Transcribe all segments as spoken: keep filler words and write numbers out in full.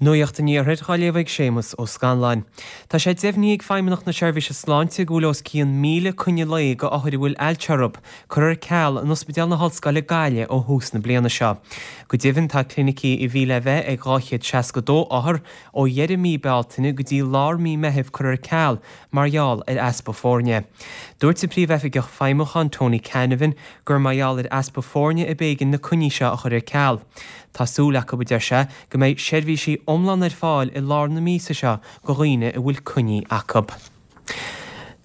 Nuacht an Iarthair á léamh ag Séamus Ó Scanláin. Tá sé deimhnithe ag Feidhmeannacht na Seirbhíse Sláinte go bhfuil os cionn míle coinne lae go othair a bhfuil ailse orthu curtha ar ceal in Ospidéal na hOllscoile Gaillimh ó thús na bliana seo. Go deimhin tá clinicí a bhí le bheith ag dhá chéad seasca dó othar ó dheireadh mí Bealtaine go dtí lár mí Meithimh curtha ar ceal mar gheall ar easpa foirne. Dúirt an Príomhoifigeach Feidhmiúcháin Tony Canavan gur mar gheall ar easpa foirne a b'éigean na coinní seo a chur ar ceal. Tá súil acu, a deir sé, go mbeidh seirbhísí iomlán ar fáil i lár na míosa seo go dhaoine a bhfuil coinní acu.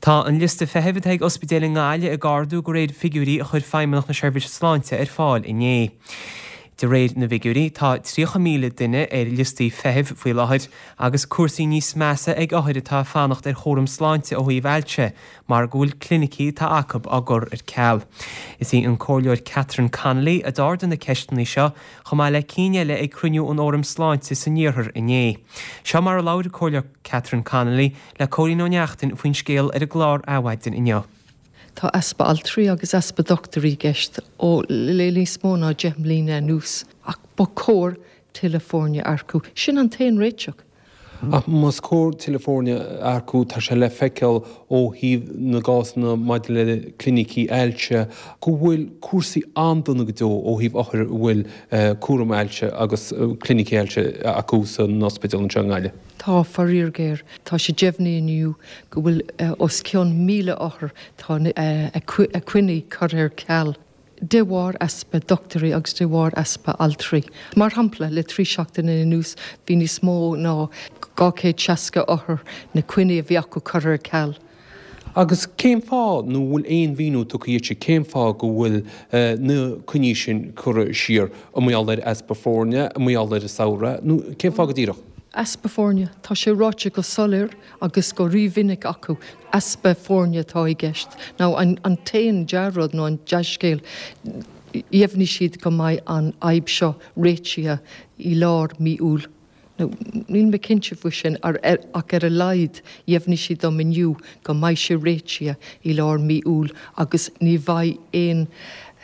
Tá an liosta feithimh atá ag ospidéil i nGaillimh ag ardú de réir figiúirí a chuir Feidhmeannacht na Seirbhíse Sláinte ar fáil inné. De réir na bhfigiúirí, tá tríocha míle duine ar liostaí feithimh faoi láthair agus cúrsaí níos measa ag othair atá ag fanacht ar chúram sláinte ó thaobh ailse mar go bhfuil clinicí atá acu á gcur ar ceal. Is í an Comhairleoir Catherine Connolly a d'ardaigh na ceisteanna seo chomh maith le cinn eile ag cruinniú an Fhóraim Sláinte san Iarthar inné. Seo mar a labhair an Comhairleoir Catherine Connolly le Cóilín Ó Neachtain faoin scéal ar an gclár Adhmhaidin inniu. Tá easpa altraí agus easpa dochtúirí i gceist ó le níos mó ná deich mbliana anuas, ach ba chóir tuilleadh foirne a earcú. Sin an t-aon réiteach. Ach más cóir tuilleadh foirne a earcú, tá sé le feiceáil ó thaobh na gcásanna maidir le clinicí ailse go bhfuil cúrsaí an-dona go deo ó thaobh othair a bhfuil cúram ailse agus clinicí ailse acu san ospidéal anseo i nGaillimh. Tá, faraor géar. Tá sé deimhnithe inniu go bhfuil os cionn míle othar, tá a gcoinní curtha ar ceal de bharr easpa dochtúirí agus de bharr easpa altraí. Mar shampla, le trí seachtaine anuas bhí níos mó ná dhá chéad seasca othar na coinní a bhí acu curtha ar ceal. Agus cén fáth, nó an bhfuil aon mhíniú tugtha dhuitse cén fáth go bhfuil na coinní sin curtha siar? An mar gheall ar easpa foirne, an mar gheall ar an samhradh, nó cén fáth go díreach? Easpa foirne. Tá sé ráite go soiléir agus go rímhinic acu, easpa foirne atá i gceist. Now an t-aon dea-rud nó an dea-scéal, dheimhnigh siad go mbeidh an fhadhb seo réitithe i lár mí Iúil. Now, níl mé cinnte faoi sin, ach ar a laghad dheimhnigh siad dom inniu go mbeidh sé réitithe i lár mí Iúil agus ní bheidh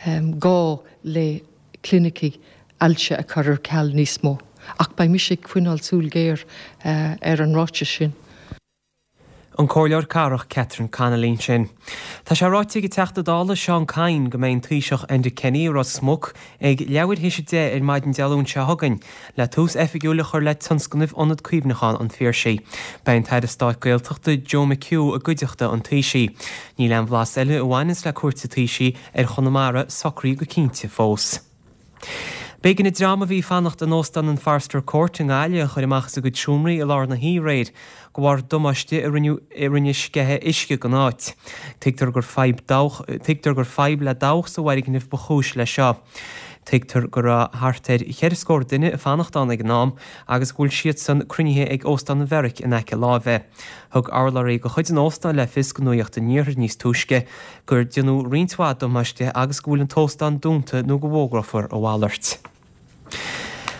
aon gá le clinicí ailse a chur ar ceal níos mó. Ach beidh mise ag coinneáil súil ghéar ar an ráiteas sin. An Comhairleoir Cathrach Catherine Connolly ansin. Tá sé ráite ag an Teachta Dála Seán Kyne go mbeidh an Taoiseach Enda Kenny i Ros Muc ag leathuair théis a deich ar maidin Dé Luain seo chugainn le tús oifigiúil a chur le tionscnamh Ionad Cuimhneacháin an Phiarsaigh. Beidh an tAire Stáit Gaeltachta Joe McHugh i gcuideachta an Taoisigh. Níl aon bhlas eile a bhaineanns le cuairt an Taoisigh ar Chonamara socraithe go cinnte fós. B'éigean an dream a bhí ag fanacht in Óstán an Forster Court i nGaillimh a chur amach as a gcuid seomraí i lár na hoíche aréir de bharr damáiste a rinne sceitheadh uisce don áit. Tuigtear gur fadhb dabhach tuigtear gur fadhb le dabhach sa bhfoirgneamh ba chúis leis seo. Tuigtear go raibh thart ar cheithre scór duine ag fanacht ann ag an am agus go bhfuil siadsan cruinnithe ag Óstán an Bheairic in aice láimhe. Thug urlabhraí de chuid an óstáin le fios do Nuacht an Iarthair níos túisce gur déanadh roinnt mhaith damáiste agus go bhfuil an t-óstán dúnta nó go bhfógrófar a mhalairt.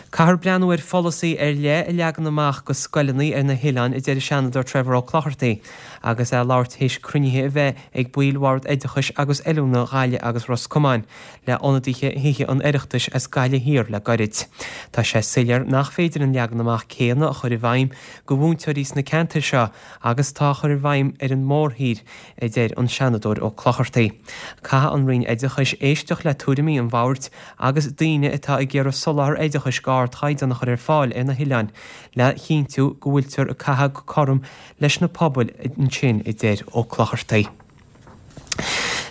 Caithfear breathnú ar pholasaí ar leith a leagan amach go scoileanna ar na hoileáin, a deir an Seanadóir Trevor Ó Clochartaigh agus é ag labhairt théis cruinnithe a bheith ag baill Bhord Oideachais agus Oiliúna Ghaillimh agus Ros Comáin le hionadaithe Thithe an Oireachtais as Gaillimh Thiar le gairid. Tá sé soiléir nach féidir an leagan amach céanna a chur i bhfeidhm go mhúinteoirí sna ceantair seo agus atá á chur i bhfeidhm ar an mórthír, a deir an Seanadóir Ó Clochartaigh. Caithfidh an Roinn Oideachais éisteacht le tuairimí an bhoird agus daoine atá ag iarraidh soláthar oideachais d'ardchaighdeán a chur ar fáil ar na hoileáin le chinntiú go bhfuiltear ag caitheamh go cothrom leis na pobail ansin, a deir Ó Clochartaigh.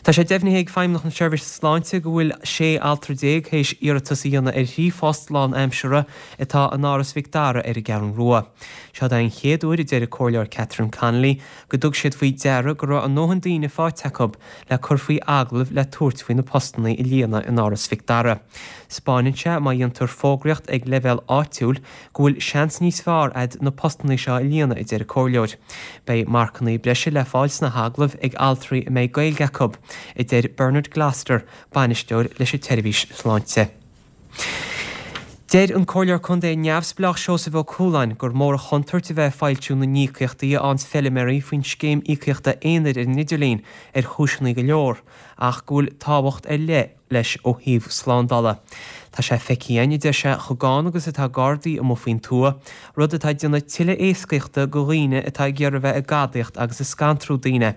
Tá sé deimhnithe ag Feidhmeannacht na Seirbhíse Sláinte go bhfuil sé altra déag théis iarratas a dhéanamh ar thrí phost lánaimseartha atá in Áras Mhic Dara ar an gCeathrú Rua. Seod é an chéad uair, a deir an Comhairleoir Catherine Connolly, go dtug siad faoi deara go raibh a ndóthain daoine faighte acu le cur faoi agallamh le tabhairt faoi na postanna a líonadh in Áras Mhic Dara. 'Spáineann sé má dhéantar fógraíocht ag leibhéal áitiúil go bhfuil seans níos fearr a'd na postanna seo a líonadh, a deir an Comhairleoir. Beidh marcanna breise le fáil sna hagallaimh ag altraí a mbeidh Gaeilge acu, a deir Bernard Gloster, bainisteoir leis an tseirbhís sláinte. Deir an Comhairleoir Contae neamhspleách Seosamh Ó Cualáin gur mór an chontúirt a bheith ag foilsiú na n-íocaíochtaí a fhaigheanns feilméaraí faoin scéim íocaíochta aonair ar an idirlíon ar chúiseanna go leor ach go bhfuil tábhacht ar leith leis ó thaobh slándála. Tá sé feicthe againn, a deir sé, chomh gann agus atá gardaí amuigh faoin tuath, rud atá ag déanamh tuilleadh éascaíochta go dhaoine atá ag iarraidh bheith ag gadaíocht agus ag scantrú daoine.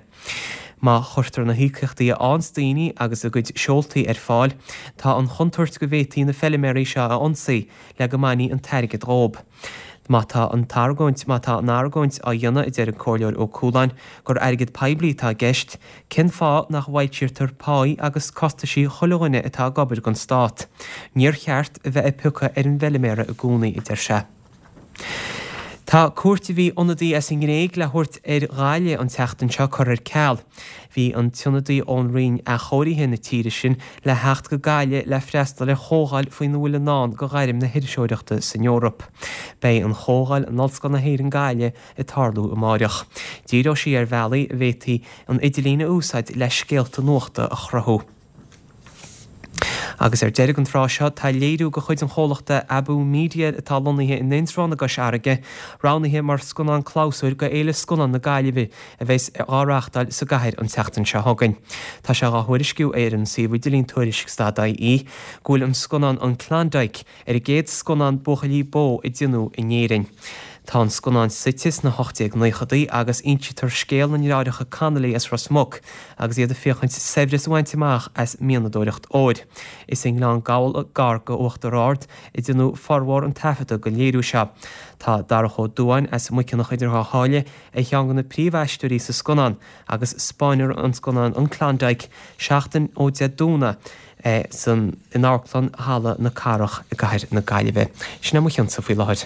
Má chuirtear na híocaíochtaí a fhaigheanns daoine agus a gcuid seoltaí ar fáil, tá an chontúirt go bhféadfaí na feilméaraí seo a ionsaí le go mbainfí an t-airgead dhóib. Má tá an t-argóint, má tá an argóint á dhéanamh, a deir an Comhairleoir Ó Cualáin, gur airgead poiblí atá i gceist, cén fáth nach bhfoilsítear páí agus costaisí chuile dhuine atá ag obair don stát? Níor cheart a bheith ag piocadh ar an bhfeilméara i gcónaí, a deir sé. Tá cuairt a bhí ionadaí as an nGréig le thabhairt ar Ghaillimh an tseachtain seo curtha ar ceal. Bhí an t-ionadaí ón Roinn Athchóirithe na tíre sin le theacht go Gaillimh le freastal ar chomhdháil faoina bhfuil i ndán do ghairm na hiriseoireachta san Eoraip. Beidh an chomhdháil in Ollscoil na hÉireann Gaillimh ag tarlú amáireach. Díreoidh sí ar bhealaí a bhféadfaí an idirlíon a úsáid le scéalta nuachta a chruthú. Agus ar deireadh an tráth seo, tá léiriú de chuid an chomhlachta Abú Media atá lonnaithe in Indreabhán i gCois Fharraige, roghnaithe mar scannán clabhsúir go Fhéile Scannán na Gaillimhe a bheas á reáchtáil sa gcathair an tseachtain seo chugainn. Tá sé á thuairisciú ar an suíomh idirlín tuairisc stad ie go bhfuil an scannán An Klondike ar an gcéad scannán buachaillí bó a déanadh in Éirinn. Tá an scannán suite sna hocht déag naochadaí agus insítear scéal na ndeartháireacha Connolly as Ros Muc agus iad ag féachaint saibhreas a bhaint amach as mianadóireacht óir. Is i nGleann Gabhla gar go Uachtar Ard a déanadh formhór an taifeadta don léiriú seo. Tá Darach Ó Dubháin as Muiceanach idir Dhá Sháile ar cheann de na príomhaisteoirí sa scannán agus spáinfear an scannán An Klondike seachtain ó Dé Domhnaigh san in Amharclann Halla na Cathrach i gcathair na Gaillimhe. Sin é mo chionsa faoi láthair.